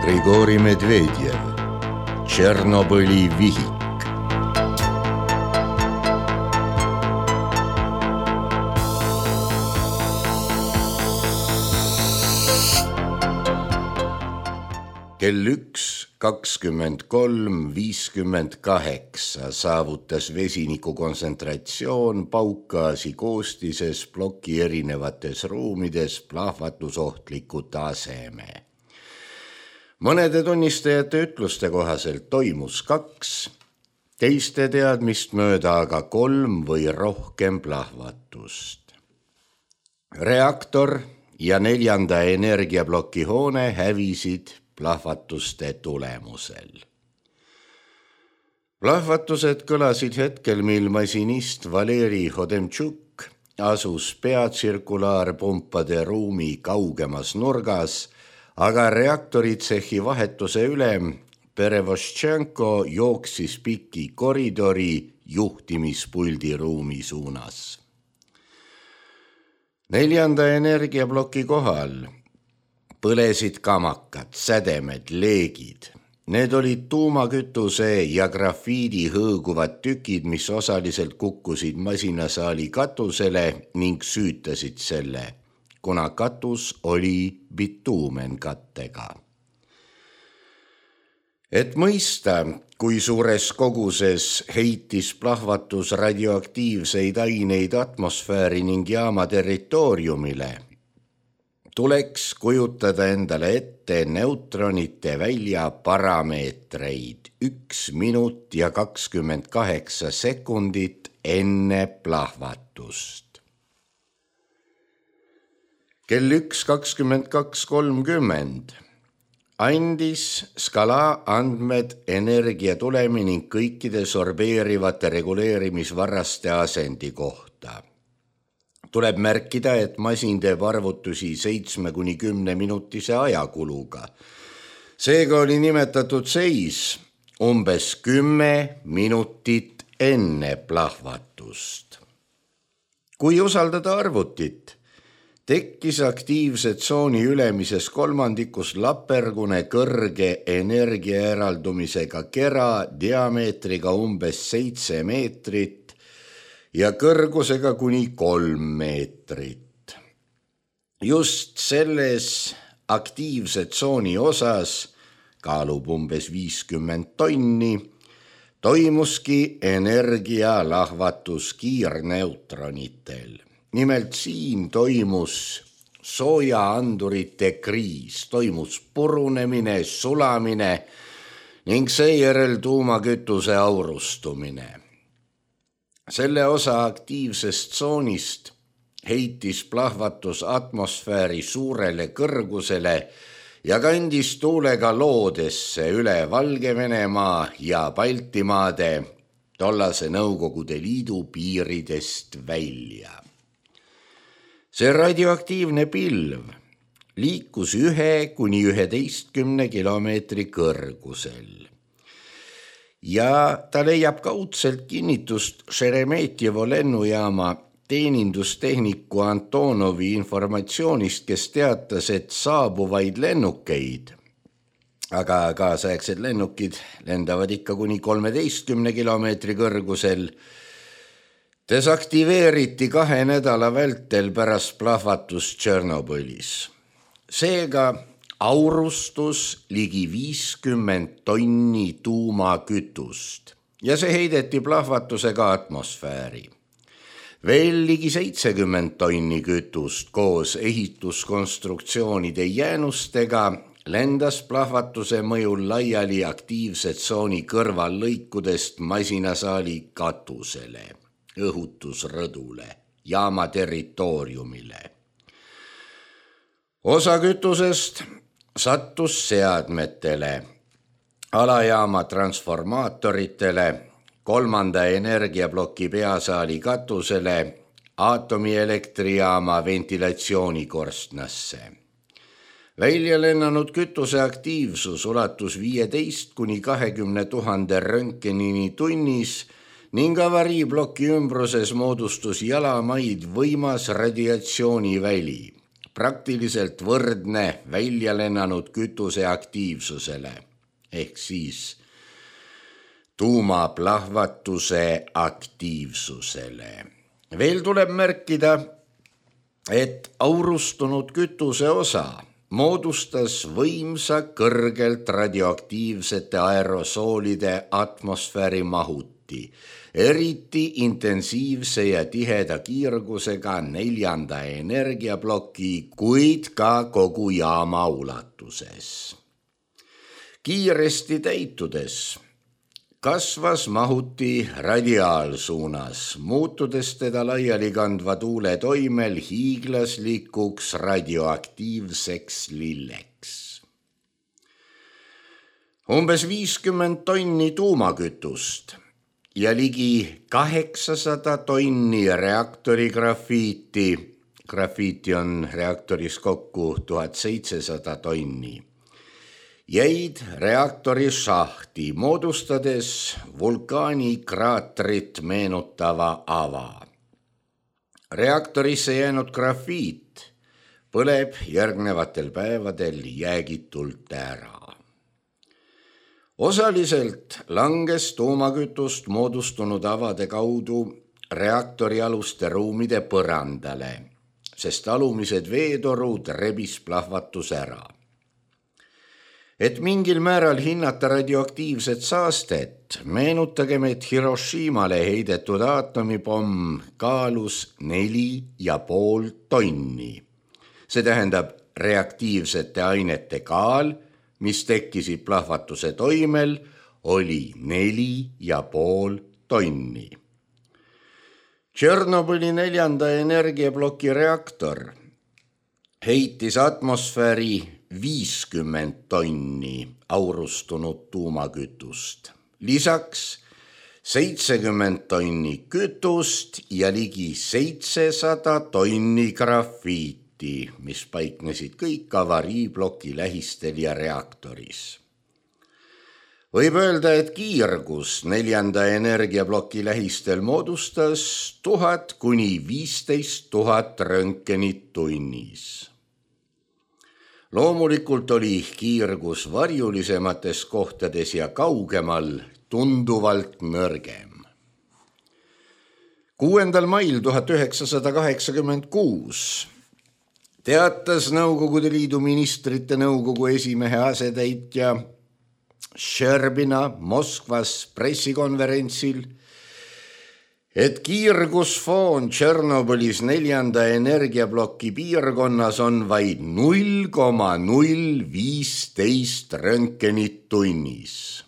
Grigori Medvedjev, Tšernobõli vihik. Kell 1:23:58 saavutas vesiniku kontsentratsioon paukgaasi koostises ploki erinevates ruumides plahvatusohtliku taseme. Mõnede tunnistajate ütluste kohaselt toimus 2, teiste teadmist mööda aga 3 või rohkem plahvatust. Reaktor ja 4. energiaploki hoone hävisid plahvatuste tulemusel. Plahvatused kõlasid hetkel, mil masinist Valeri Hodemtšuk asus peatsirkulaarpumpade ruumi kaugemas nurgas, aga reaktoritsehhi vahetuse ülem Perevoštšenko jooksis piki koridori juhtimispuldi ruumi suunas. 4. energiaploki kohal põlesid kamakad, sädemed, leegid. Need olid tuumakütuse ja grafiidi hõõguvad tükid, mis osaliselt kukkusid masinasaali katusele ning süütasid selle, kuna katus oli bituumenkattega. Et mõista, kui suures koguses heitis plahvatus radioaktiivseid aineid atmosfääri ning jaama territooriumile, tuleks kujutada endale ette neutronite välja parameetreid 1 minut ja 28 sekundit enne plahvatust. Kell 1:22:30 andis skala andmed energia tulemi ning kõikide sorbeerivate reguleerimisvarraste asendi kohta. Tuleb märkida, et masin teeb arvutusi 7–10 minutise ajakuluga. Seega oli nimetatud seis umbes 10 minutit enne plahvatust. Kui usaldada arvutit, tekkis aktiivse tsooni ülemises kolmandikus lapergune kõrge energiaeraldumisega kera diameetriga umbes 7 meetrit ja kõrgusega kuni 3 meetrit. Just selles aktiivse tsooni osas, kaalub umbes 50 tonni, toimuski energialahvatus kiirneutronitel. Nimelt siin toimus soojaandurite kriis, toimus purunemine, sulamine ning seejärel tuumakütuse aurustumine. Selle osa aktiivsest tsoonist heitis plahvatus atmosfääri suurele kõrgusele ja kandis tuulega loodesse üle Valgevenemaa ja Baltimaade tollase Nõukogude Liidu piiridest välja. See radioaktiivne pilv liikus 1–11 kilomeetri kõrgusel. Ja ta leiab kaudselt kinnitust Šeremetjevo lennujaama teenindustehniku Antonovi informatsioonist, kes teatas, et saabuvaid lennukeid, aga kaasaegsed lennukid lendavad ikka kuni 13 kilomeetri kõrgusel, desaktiveeriti 2 nädala vältel pärast plahvatust Tšernobõlis. Seega aurustus ligi 50 tonni tuumakütust ja see heideti plahvatusega atmosfääri. Veel ligi 70 tonni kütust koos ehituskonstruktsioonide jäänustega lendas plahvatuse mõjul laiali aktiivse tsooni kõrvallõikudest masinasaali katusele, õhutusrõdule, jaama territooriumile. Osa kütusest sattus seadmetele, alajaama transformaatoritele, 3. energiaploki peasaali katusele, aatomieelektrijaama ventilatsioonikorstnasse. Välja lennanud kütuse aktiivsus ulatus 15–20 000 röntgenini tunnis ning avariibloki ümbruses moodustus jalamaid võimas radiatsiooniväli. praktiliselt võrdne välja lennanud kütuse aktiivsusele ehk siis tuumaplahvatuse aktiivsusele. Veel tuleb märkida, et aurustunud kütuse osa moodustas võimsa kõrgelt radioaktiivsete aerosoolide atmosfääri mahuti, eriti intensiivse ja tiheda kiirgusega 4. energiaploki, kuid ka kogu jaama ulatuses. Kiiresti täitudes kasvas mahuti radiaalsuunas, muutudes teda laiali kandva tuule toimel hiiglaslikuks radioaktiivseks lilleks. Umbes 50 tonni tuumakütust ja ligi 800 tonni reaktori grafiiti, grafiiti on reaktoris kokku 1700 tonni, jäid reaktori šahti, moodustades vulkaanikraatrit meenutava ava. Reaktorisse jäänud grafiit põleb järgnevatel päevadel jäägitult ära. Osaliselt langes tuumakütust moodustunud avade kaudu reaktori aluste ruumide põrandale, sest alumised veetorud rebis plahvatus ära. Et mingil määral hinnata radioaktiivset saastet, meenutagem, et Hiroshimale heidetud aatomipomm kaalus 4,5 tonni. See tähendab reaktiivsete ainete kaal, mis tekkisid plahvatuse toimel, oli 4,5 tonni. Tšernobõli 4. energiaploki reaktor heitis atmosfääri 50 tonni aurustunud tuumakütust. Lisaks 70 tonni kütust ja ligi 700 tonni grafiiti, mis paiknesid kõik avariibloki lähistel ja reaktoris. Võib öelda, et kiirgus 4. energiaploki lähistel moodustas 1000 kuni 15 000 röntgenit tunnis. Loomulikult oli kiirgus varjulisemates kohtades ja kaugemal tunduvalt nõrgem. 6. mail 1986 teatas Nõukogude Liidu ministrite nõukogu esimehe asetäitja Šerbina Moskvas pressikonverentsil, et kiirgusfoon Tšernobõlis 4. energiaploki piirkonnas on vaid 0,015 röntgenit tunnis.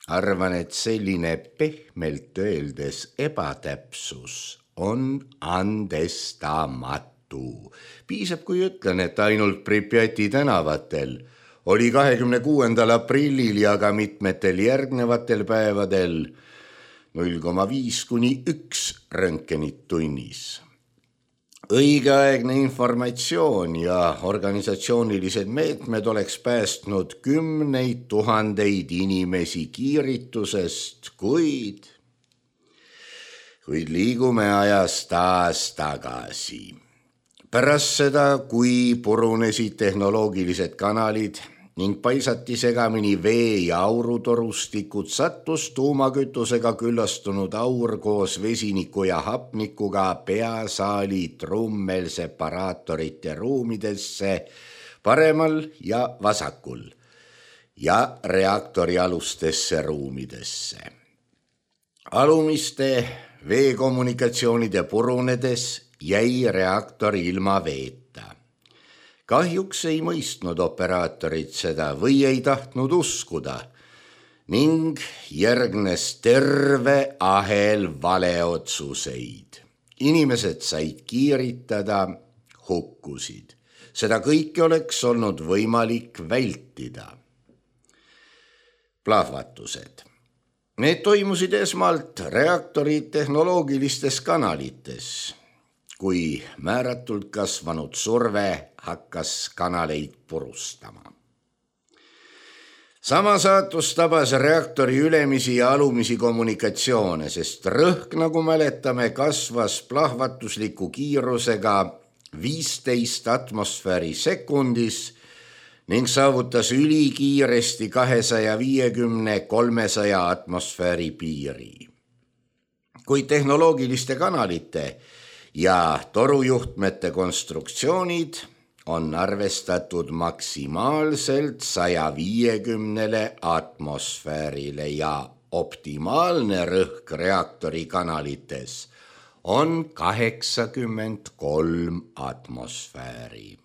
Arvan, et selline pehmelt öeldes ebatäpsus on andestamatu. Piisab, kui ütlen, et ainult Pripjati tänavatel oli 26. aprillil ja ka mitmetel järgnevatel päevadel 0,5 kuni 1 röntgenit tunnis. Õigeaegne informatsioon ja organisatsioonilised meetmed oleks päästnud 10 000 inimesi kiiritusest, kuid liigume ajas taas tagasi. Pärast seda, kui purunesid tehnoloogilised kanalid ning paisati segamini vee- ja aurutorustikud, sattus tuumakütusega küllastunud aur koos vesiniku ja hapnikuga peasaali trummelseparaatorite ruumidesse paremal ja vasakul ja reaktori alustesse ruumidesse. Alumiste veekommunikatsioonide purunedes jäi reaktor ilma veeta. Kahjuks ei mõistnud operaatorid seda või ei tahtnud uskuda ning järgnes terve ahel valeotsuseid. Inimesed said kiiritada, hukkusid. Seda kõike oleks olnud võimalik vältida. Plahvatused. Need toimusid esmalt reaktori tehnoloogilistes kanalites, kui määratult kasvanud surve hakkas kanaleid purustama. Sama saatus tabas reaktori ülemisi ja alumisi kommunikatsioone, sest rõhk, nagu mäletame, kasvas plahvatusliku kiirusega 15 atmosfääri sekundis ning saavutas ülikiiresti 250–300 atmosfääri piiri. Kuid tehnoloogiliste kanalite ja torujuhtmete konstruktsioonid on arvestatud maksimaalselt 150 atmosfäärile ja optimaalne rõhk reaktori kanalites on 83 atmosfääri.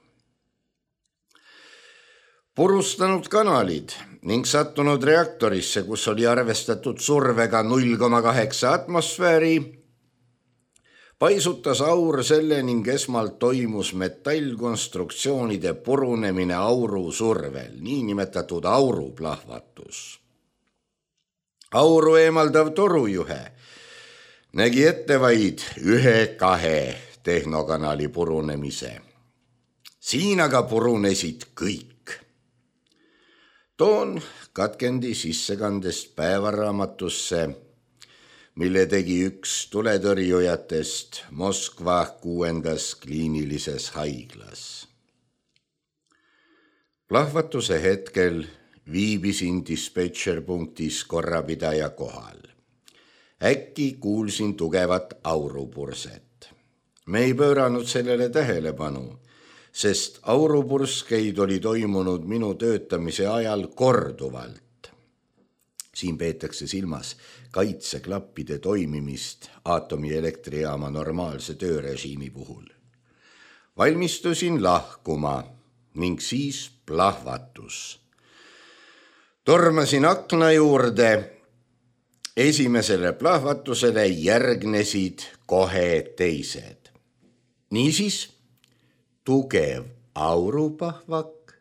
Purustanud kanalid ning sattunud reaktorisse, kus oli arvestatud survega 0,8 atmosfääri, paisutas aur selle ning esmalt toimus metallkonstruktsioonide purunemine auru survel, niinimetatud auruplahvatus. Auru eemaldav torujuhe nägi ette vaid 1-2 tehnokanali purunemise. Siin aga purunesid kõik. Toon katkendi sissekandest päevaraamatusse, mille tegi üks tuletõrjujatest Moskva 6. kliinilises haiglas. Plahvatuse hetkel viibisin dispetšerpunktis korrapidaja kohal. Äkki kuulsin tugevat aurupurset. Me ei pööranud sellele tähelepanu, sest aurupurskeid oli toimunud minu töötamise ajal korduvalt. Siin peetakse silmas kaitseklappide toimimist aatomieelektrijaama normaalse töörežiimi puhul. Valmistusin lahkuma ning siis plahvatus. Tormasin akna juurde. Esimesele plahvatusele järgnesid kohe teised. Niisiis, tugev auruplahvak,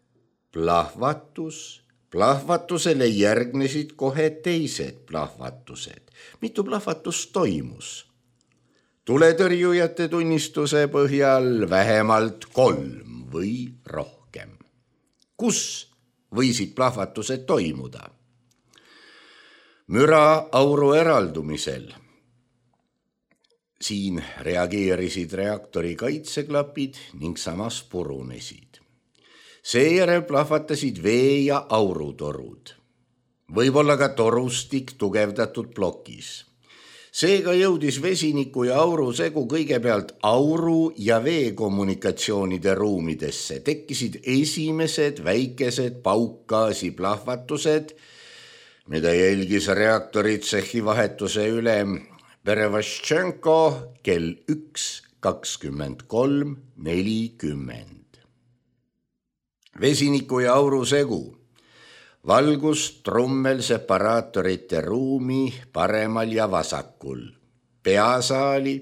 plahvatus, plahvatusele järgnesid kohe teised plahvatused. Mitu plahvatust toimus? Tuletõrjujate tunnistuse põhjal vähemalt 3 või rohkem. Kus võisid plahvatused toimuda? Müra auru eraldumisel. Siin reageerisid reaktori kaitseklapid ning samas purunesid. Seejärel plahvatasid vee- ja aurutorud. Võib-olla ka torustik tugevdatud plokis. Seega jõudis vesiniku ja auru segu kõigepealt auru- ja veekommunikatsioonide ruumidesse. Tekkisid esimesed väikesed paukgaasi plahvatused, mida jälgis reaktoritsehhi vahetuse ülem Perevaščenko kell 1:23:40. Vesiniku ja auru segu valgus trummelseparaatorite ruumi paremal ja vasakul, peasaali,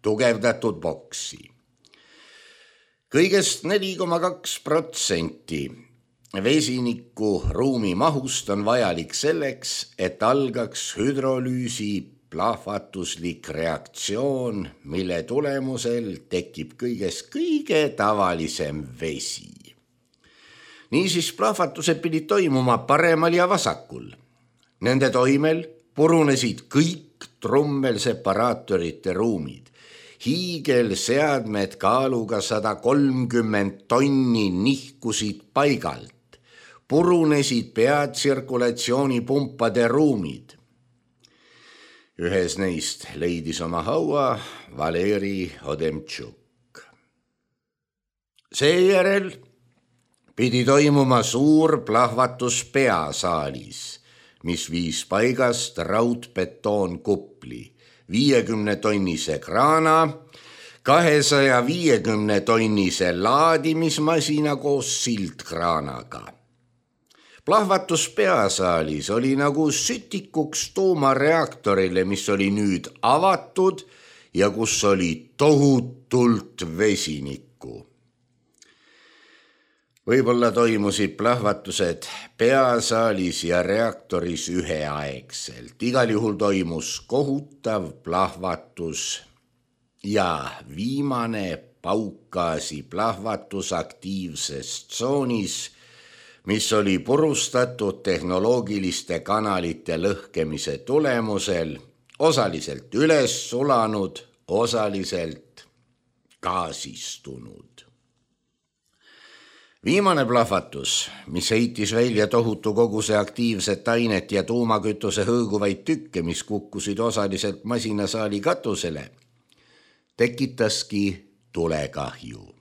tugevdatud boksi. Kõigest 4,2% vesiniku ruumi mahust on vajalik selleks, et algaks hüdrolüüsi plahvatuslik reaktsioon, mille tulemusel tekib kõigest kõige tavalisem vesi. Niisiis plahvatused pidid toimuma paremal ja vasakul. Nende toimel purunesid kõik trummelseparaatorite ruumid. Hiigelseadmed kaaluga 130 tonni nihkusid paigalt. Purunesid peatsirkulatsioonipumpade ruumid. Ühes neist leidis oma haua Valeri Odemtšuk. Seejärel pidi toimuma suur plahvatus peasaalis, mis viis paigast raudbetoonkupli, 50-tonnise kraana, 250-tonnise laadimismasina koos sildkraanaga. Plahvatus peasaalis oli nagu sütikuks tuumareaktorile, mis oli nüüd avatud ja kus oli tohutult vesinikku. Võib-olla toimusid plahvatused peasaalis ja reaktoris üheaegselt. Igal juhul toimus kohutav plahvatus ja viimane paukgaasi plahvatus aktiivses tsoonis, mis oli purustatud tehnoloogiliste kanalite lõhkemise tulemusel, osaliselt üles sulanud, osaliselt gaasistunud. Viimane plahvatus, mis heitis välja tohutu koguse aktiivset ainet ja tuumakütuse hõõguvaid tükke, mis kukkusid osaliselt masinasaali katusele, tekitaski tulekahju.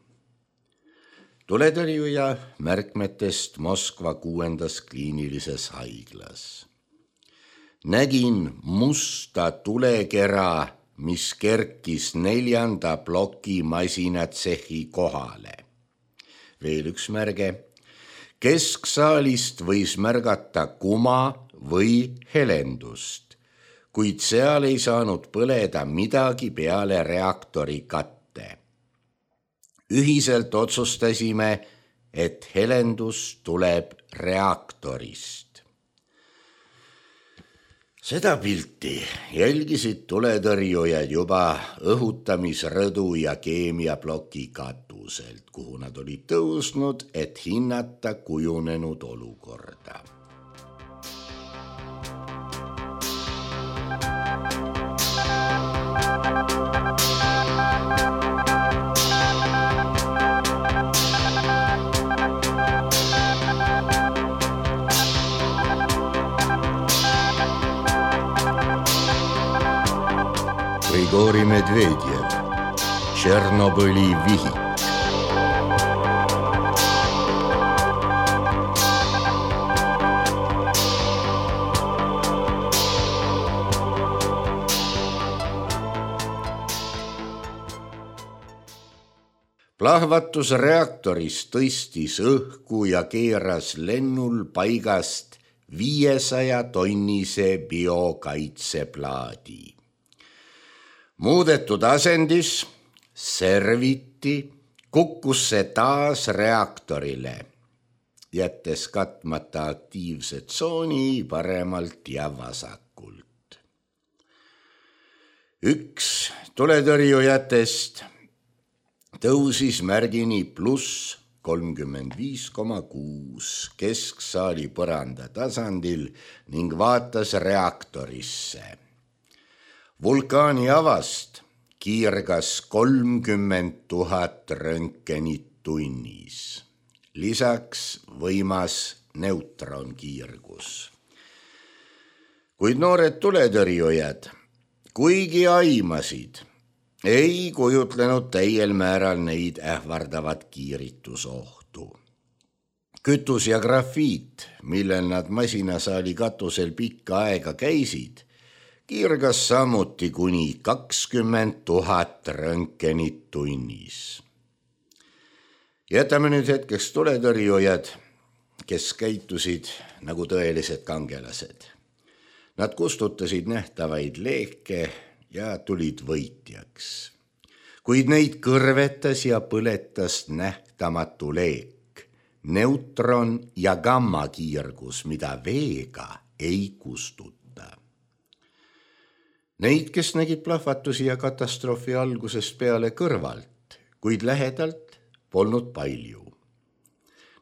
Tuletõrjuja märkmetest Moskva 6. kliinilises haiglas. Nägin musta tulekera, mis kerkis 4. ploki masinatsehi kohale. Veel üks märge. Kesksaalist võis märgata kuma või helendust, kuid seal ei saanud põleda midagi peale reaktori katte. Ühiselt otsustasime, et helendus tuleb reaktorist. Seda pilti jälgisid tuletõrjujad juba õhutamisrõdu ja keemiaploki katuselt, kuhu nad olid tõusnud, et hinnata kujunenud olukorda. Grigori Medvedjev, Tšernobõli vihik. Plahvatus reaktoris tõstis õhku ja keeras lennul paigast 500-tonnise biokaitseplaadi. Muudetud asendis serviti kukkus see taas reaktorile, jättes katmata aktiivse tsooni paremalt ja vasakult. Üks tuletõrjujatest tõusis märgini +35,6 kesksaali põranda tasandil ning vaatas reaktorisse. Vulkaani avast kiirgas 30 000 röntgenit tunnis. Lisaks võimas neutronkiirgus. Kuid noored tuletõrjujad, kuigi aimasid, ei kujutlenud täiel määral neid ähvardavat kiiritusohtu. Kütus ja grafiit, millel nad masinasaali katusel pikka aega käisid, kiirgas samuti kuni 20 000 röntgenit tunnis. Jätame nüüd hetkeks tuletõrjujad, kes käitusid nagu tõelised kangelased. Nad kustutasid nähtavaid leeke ja tulid võitjaks. Kuid neid kõrvetas ja põletas nähtamatu leek, neutron ja gammakiirgus, mida veega ei kustuta. Neid, kes nägid plahvatusi ja katastroofi algusest peale kõrvalt, kuid lähedalt polnud palju.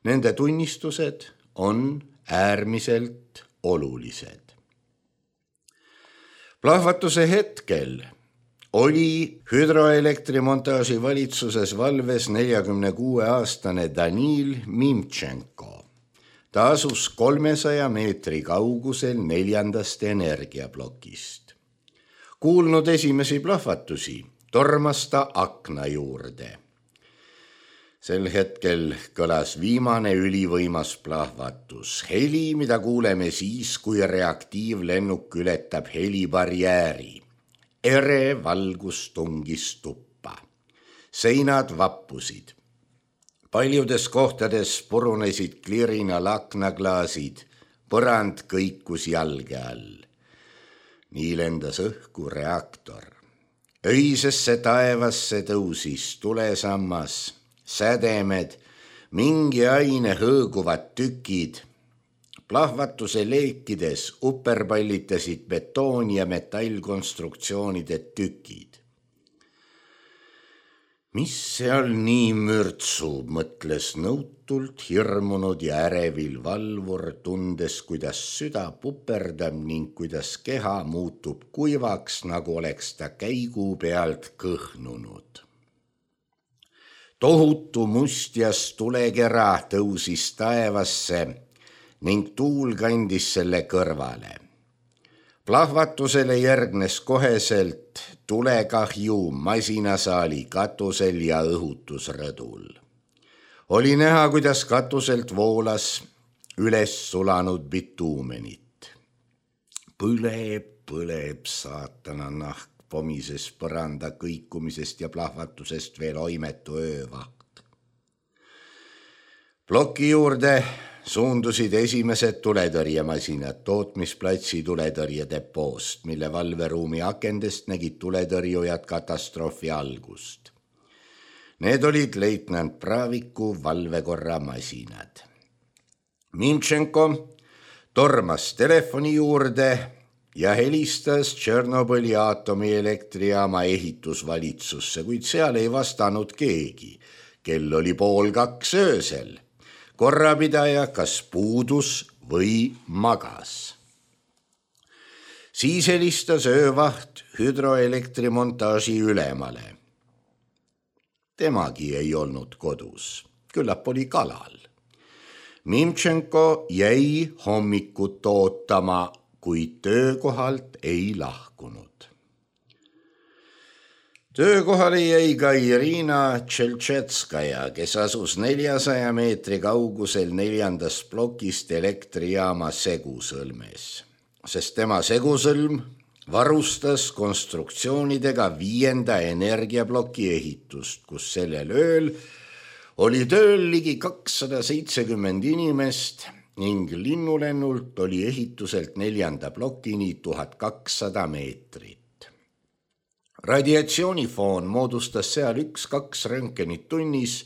Nende tunnistused on äärmiselt olulised. Plahvatuse hetkel oli hüdroelektrimontaaži valitsuses valves 46-aastane Danil Mimtšenko. Ta asus 300 meetri kaugusel 4. energiaplokist. Kuulnud esimesi plahvatusi, tormas ta akna juurde. Sel hetkel kõlas viimane ülivõimas plahvatus. Heli, mida kuuleme siis, kui reaktiivlennuk ületab helibarjääri. Ere valgus tungis tuppa. Seinad vappusid. Paljudes kohtades purunesid klirinal aknaklaasid, põrand kõikus jalge all. Nii lendas õhku reaktor. Öisesse taevasse tõusis tulesammas, sädemed, mingi aine hõõguvad tükid. Plahvatuse leekides uperpallitasid betoon- ja metallkonstruktsioonide tükid. Mis seal nii mürtsub, mõtles nõutult hirmunud ja ärevil valvur, tundes, kuidas süda puperdab ning kuidas keha muutub kuivaks, nagu oleks ta käigu pealt kõhnunud. Tohutu mustjas tulekera tõusis taevasse ning tuul kandis selle kõrvale. Plahvatusele järgnes koheselt tulekahju masinasaali katusel ja õhutusrõdul. Oli näha, kuidas katuselt voolas üles sulanud bituumenit. Põleb saatana nahk, pomises põranda kõikumisest ja plahvatusest veel oimetu öövaht. Ploki juurde suundusid esimesed tuletõrjemasinad tootmisplatsi tuletõrjedepoost, mille valveruumi akendest nägid tuletõrjujad katastroofi algust. Need olid leitnant Praviku valvekorra masinad. Mimtšenko tormas telefoni juurde ja helistas Tšernobõli aatomielektrijaama ehitusvalitsusse, kuid seal ei vastanud keegi. Kell oli 1:30 öösel. Korrapidaja kas puudus või magas. Siis helistas öövaht hüdroelektrimontaži ülemale. Temagi ei olnud kodus, küllap oli kalal. Mimtšenko jäi hommikut ootama, kuid töökohalt ei lahkunud. Töökohale jäi ka Irina Tšeltšetskaja, kes asus 400 meetri kaugusel 4. plokist elektrijaama segusõlmes, sest tema segusõlm varustas konstruktsioonidega 5. energiaploki ehitust, kus sellel ööl oli tööl ligi 270 inimest ning linnulennult oli ehituselt 4. plokini 1200 meetrit. Radiatsioonifoon moodustas seal 1-2 röntgenit tunnis,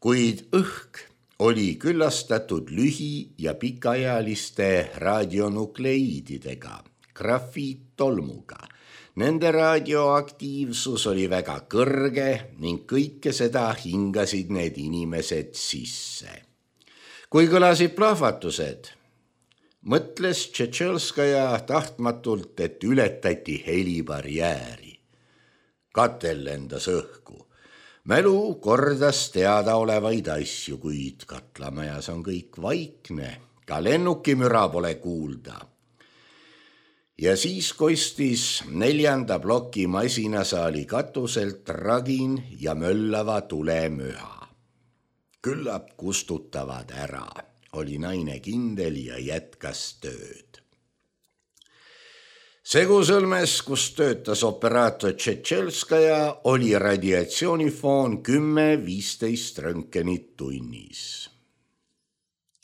kuid õhk oli küllastatud lühi- ja pikaajaliste radionukleiididega, grafiittolmuga. Nende radioaktiivsus oli väga kõrge ning kõike seda hingasid need inimesed sisse. Kui kõlasid plahvatused, mõtles Tšetšelskaja tahtmatult, et ületati helibarjääri. Katel lendas õhku. Mälu kordas teadaolevaid asju, kuid katlamajas on kõik vaikne, ka lennukimüra pole kuulda. Ja siis kostis 4. ploki masinasaali katuselt ragin ja möllava tulemüha. Küllap kustutavad ära, oli naine kindel ja jätkas tööd. Segusõlmes, kus töötas operaator Tšetšelskaja, oli radiatsioonifoon 10-15 röntgenit tunnis.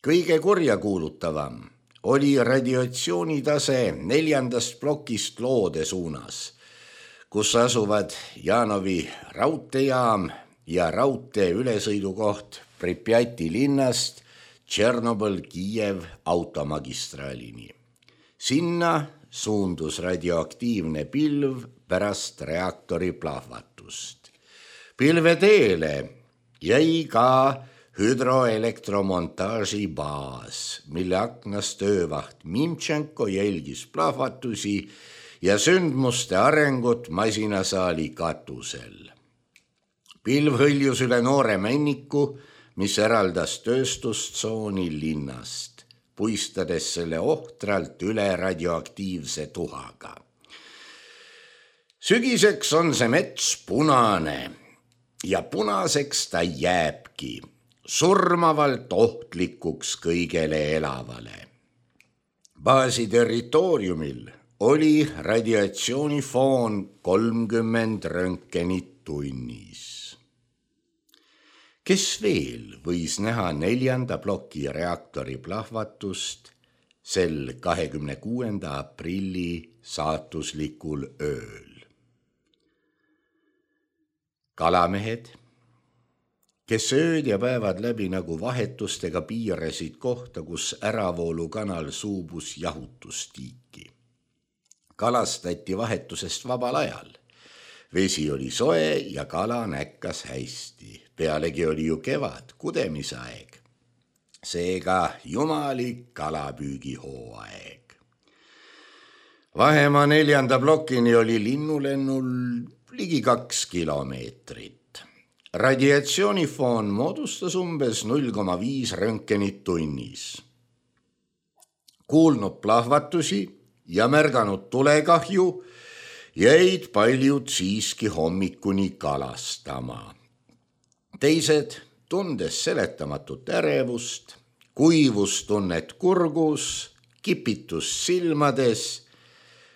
Kõige kurjakuulutavam oli radiatsioonitase 4. plokist Loode suunas, kus asuvad Janovi raudteejaam ja raudtee ülesõidukoht Pripjati linnast Tšernobõl-Kiiev automagistraalini. Sinna suundus radioaktiivne pilv pärast reaktori plahvatust. Pilveteele jäi ka hüdroelektromontaaži baas, mille aknast öövaht Mimtšenko jälgis plahvatusi ja sündmuste arengut masinasaali katusel. Pilv hõljus üle noore männiku, mis eraldas tööstustsooni linnast, puistades selle ohtralt üle radioaktiivse tuhaga. Sügiseks on see mets punane ja punaseks ta jääbki, surmavalt ohtlikuks kõigele elavale. Baasi territooriumil oli radiatsioonifoon 30 röntgenit tunnis. Kes veel võis näha 4. ploki reaktori plahvatust sel 26. aprilli saatuslikul ööl? Kalamehed, kes ööd ja päevad läbi nagu vahetustega piirasid kohta, kus äravoolukanal suubus jahutustiiki. Kalastati vahetusest vabal ajal. Vesi oli soe ja kala näkkas hästi. Pealegi oli ju kevad, kudemisaeg. Seega jumalik kalapüügihooaeg. Vahemaa 4. plokini oli linnulennul ligi 2 kilomeetrit. Radiatsioonifoon moodustas umbes 0,5 röntgenit tunnis. Kuulnud plahvatusi ja märganud tulekahju, jäid paljud siiski hommikuni kalastama. Teised, tundes seletamatut ärevust, kuivustunnet kurgus, kipitus silmades,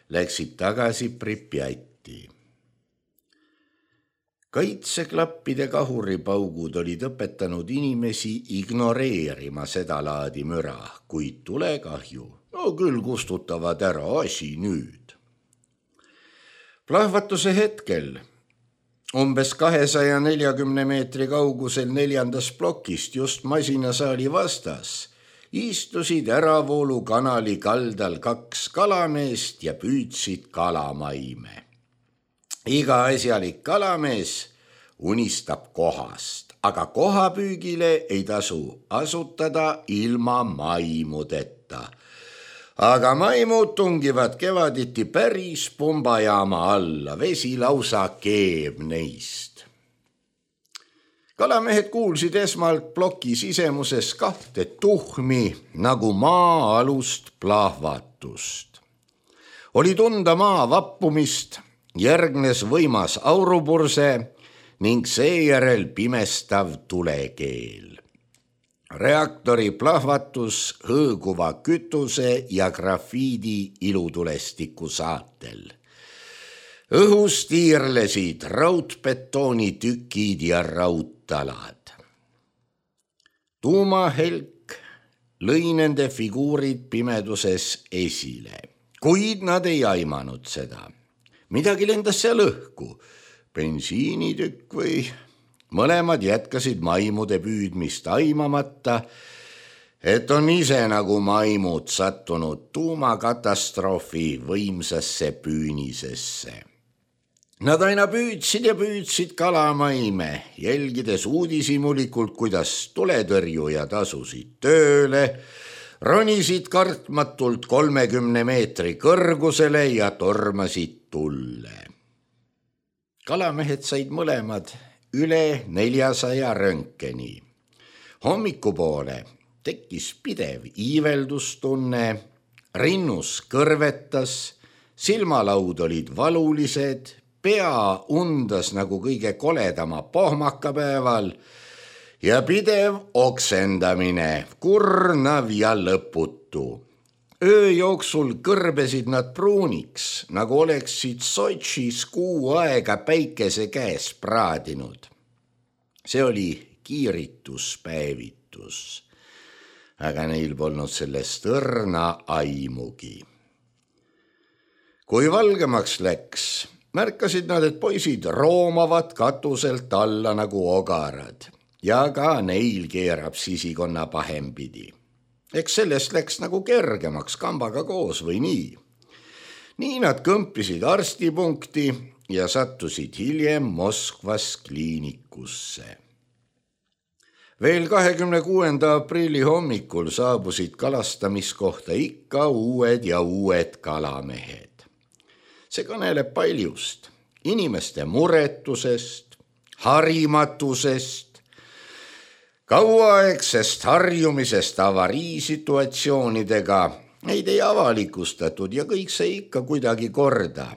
läksid tagasi Pripjatti. Kaitseklappide kahuripaugud olid õpetanud inimesi ignoreerima seda laadi müra, kuid tulekahju, küll kustutavad ära asi nüüd. Plahvatuse hetkel, umbes 240 meetri kaugusel 4. plokist just masinasaali vastas, istusid äravoolu kanali kaldal 2 kalameest ja püüdsid kalamaime. Iga asjalik kalamees unistab kohast, aga kohapüügile ei tasu asutada ilma maimudeta. Aga maimud tungivad kevaditi päris pumbajaama alla, vesi lausa keeb neist. Kalamehed kuulsid esmalt ploki sisemuses 2 tuhmi nagu maa-alust plahvatust. Oli tunda maa vappumist, järgnes võimas aurupurse ning seejärel pimestav tulekeel. Reaktori plahvatus hõõguva kütuse ja grafiidi ilutulestiku saatel. Õhus tiirlesid raudbetooni tükid ja raudtalad. Tuumahelk lõi nende figuurid pimeduses esile, kuid nad ei aimanud seda. Midagi lendas seal õhku, bensiinitükk või... Mõlemad jätkasid maimude püüdmist aimamata, et on ise nagu maimud sattunud tuumakatastroofi võimsasse püünisesse. Nad aina püüdsid ja püüdsid kalamaime, jälgides uudishimulikult, kuidas tuletõrjujad asusid tööle, ronisid kartmatult 30 meetri kõrgusele ja tormasid tulle. Kalamehed said mõlemad üle 400 röntgeni. Hommikupoole tekkis pidev iiveldustunne, rinnus kõrvetas, silmalaud olid valulised, pea undas nagu kõige koledama pohmakapäeval ja pidev oksendamine, kurnav ja lõputu. Öö jooksul kõrbesid nad pruuniks, nagu oleksid Sotšis kuu aega päikese käes praadinud. See oli kiirituspäevitus, aga neil polnud sellest õrna aimugi. Kui valgemaks läks, märkasid nad, et poisid roomavad katuselt alla nagu ogarad ja ka neil keerab sisikonna pahempidi. Eks sellest läks nagu kergemaks kambaga koos või nii. Nii nad kõmpisid arstipunkti ja sattusid hiljem Moskvas kliinikusse. Veel 26. aprilli hommikul saabusid kalastamiskohta ikka uued ja uued kalamehed. See kõneleb paljust, inimeste muretusest, harimatusest, kauaaegsest harjumisest avariisituatsioonidega, neid ei avalikustatud ja kõik see ikka kuidagi korda.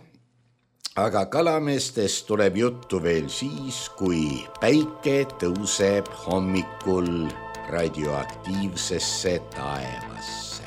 Aga kalameestest tuleb juttu veel siis, kui päike tõuseb hommikul radioaktiivsesse taevasse.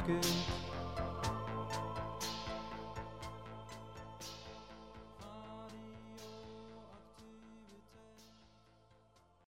que